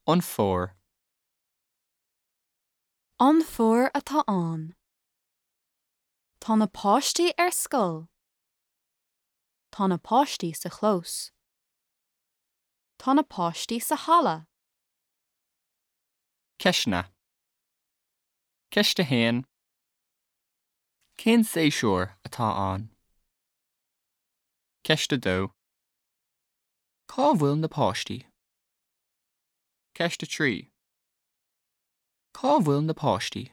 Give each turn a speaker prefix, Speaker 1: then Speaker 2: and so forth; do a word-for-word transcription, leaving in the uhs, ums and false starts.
Speaker 1: An fómhar.
Speaker 2: An fómhar atá ann. Tá na páistí ar scoil. Tá na páistí sa chlós. Tá na páistí sa halla.
Speaker 1: Ceisteanna. Ceist a haon. Cén séasúr atá ann? Ceist a dó. Cá bhfuil na páistí? Ceist a trí. Cá bhfuil na páistí?